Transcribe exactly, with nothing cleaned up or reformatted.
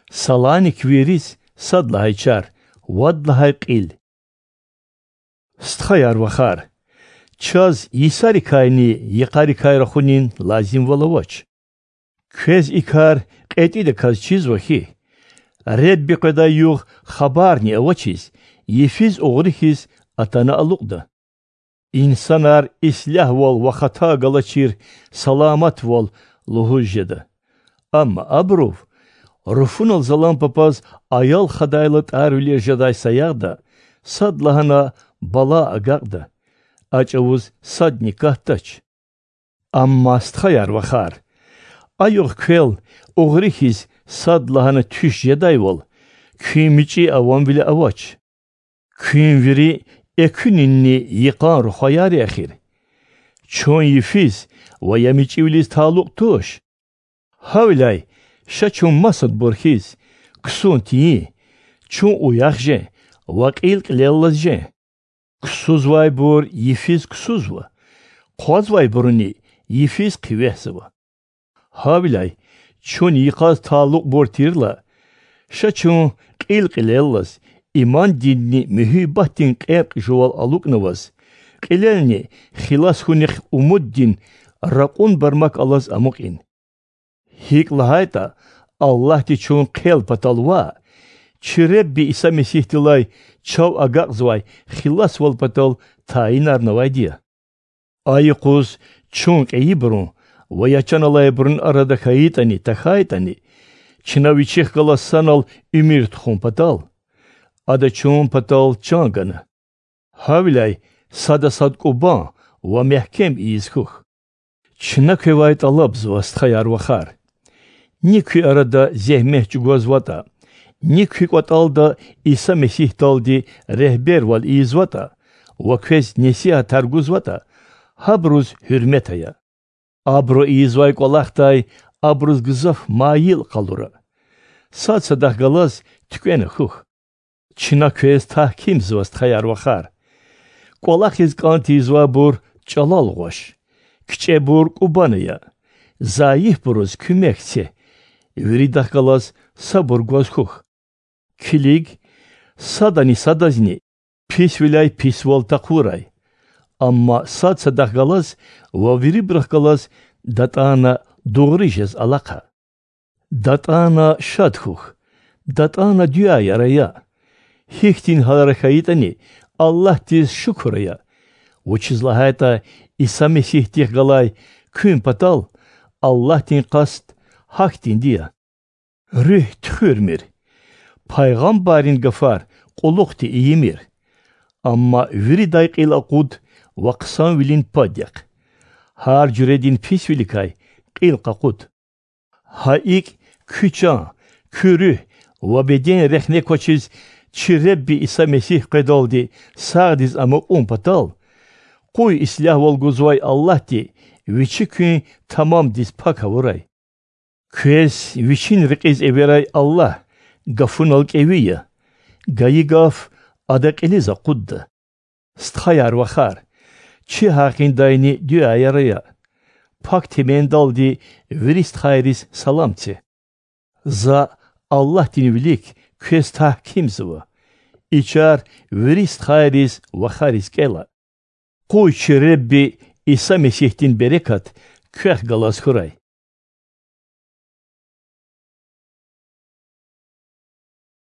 Саланик вириз сад лагьай чар, вад лагьай кьил. Стхаяр-вахар, чаз йисарикайни йикъарикай рахунин лазимвал авач. Квез и кар кьетӀидаказ чизва хьи, Ребби къведай югъ хабарни авачиз, йифиз угъри хьиз атана алукьда. Инсанар ислягьвал ва хата галачир саламатвал лугьуз жеда. Амма абурув, руфунал залан папаз аял хадайла тӀарвилер жедай саягъда, садлагьана бала агакьда, а чӀавуз садни катдач. Амма, стхаяр-вахар, а югъ квел угъри хьиз садлагьана туьш жедайвал, куьн мичӀи аванвиле авач. Куьн вири экуьнинни йикъан рухваяр я эхир. Чун йифиз ва я мичӀивилиз талукь туш. Гьавиляй ша чун масадбур хьиз, ксун тийин, чун уях жен ва кьил кьилеллаз жен. Ксузвайбур йифиз ксузва, хъвазвайбуруни йифиз хъивегьзава. Гьавиляй чун йикъаз талукьбур тирла, ша чун кьил кьилеллаз, имандинни муьгьуьббатдин кьеркь жувал алукӀнаваз, кьилелни хилас хьунихъ умуддин ракьун бармак алаз амукьин. ГьикӀ лагьайтӀа, Аллагьди чун хъел патал ваъ, чи Ребби Иса Месигьдилай чав агакьзавай хиласвал патал тайинарнавайди я. А юкъуз чун кьейибурун ва я чан алайбурун арада хьайитӀани, тахьайтӀани, чна Вичихъ галаз санал уьмуьр тухун патал, Ада чун патал чан гана. Гьавиляй сада сад кӀубан ва мягькем ийиз хьухь. Чна квевай тӀалабзава, стхаяр-вахар: ни куь арада зегьмет чӀугвазватӀа, ни куь кӀватӀалда Иса Месигьдалди регьбервал ийизватӀа ва квез несигьатар гузватӀа, гьабуруз гьуьрмет ая. Абуру ийизвай кӀвалахдай абуруз гзаф майил къалура. Сад садахъ галаз туькӀвена хьухь. Чна квез тагькимзава, стхаяр-вахар: кӀвалахиз кӀан тийизвайбур чӀалал гъваш, кичӀебур кӀубан ая, зайифбуруз куьмек це, виридахъ галаз сабур гваз хьухь. Килиг, садани садазни писвиляй писвал такъурай, амма сад садахъ галаз ва вирибурухъ галаз датӀана дугъри жез алахъа. ДатӀана шад хьухь, датӀана дуьаяр ая. Гьихьтин гьалара хьайитӀани, Аллагьдиз шукур ая, вучиз лагьайтӀа Иса Месигьдихъ галай куьн патал Аллагьдин къаст гьахьтинди я: руьгь туьхуьрмир, пайгъамбаррин гафар кьулухъди ийимир, амма виридай кьил акъуд ва хъсанвилин пад яхъ, гьар жуьредин писвиликай кьил къакъуд. Гьа икӀ, куь чан, куь руьгь ва беден рехне квачиз чи Ребби Иса Месигь къведалди сагъдиз амукьун патал, къуй ислягьвал гузвай Аллагьди Вичи куьн тамамдиз пак авурай. Квез Вичин рекьиз эверай Аллагь гафунал кӀеви я, гайи гаф Ада кьилиз акъудда. Стхаяр-вахар, чи гьакъиндайни дуьаяр ая. Пак Темендалди вири стхайриз салам це. За, Аллагьдин вилик, квез тагькимзава. И чар вири стхайриз, вахариз кӀела. Къуй чи Ребби Иса Месигьдин берекат квехъ галаз хьурай.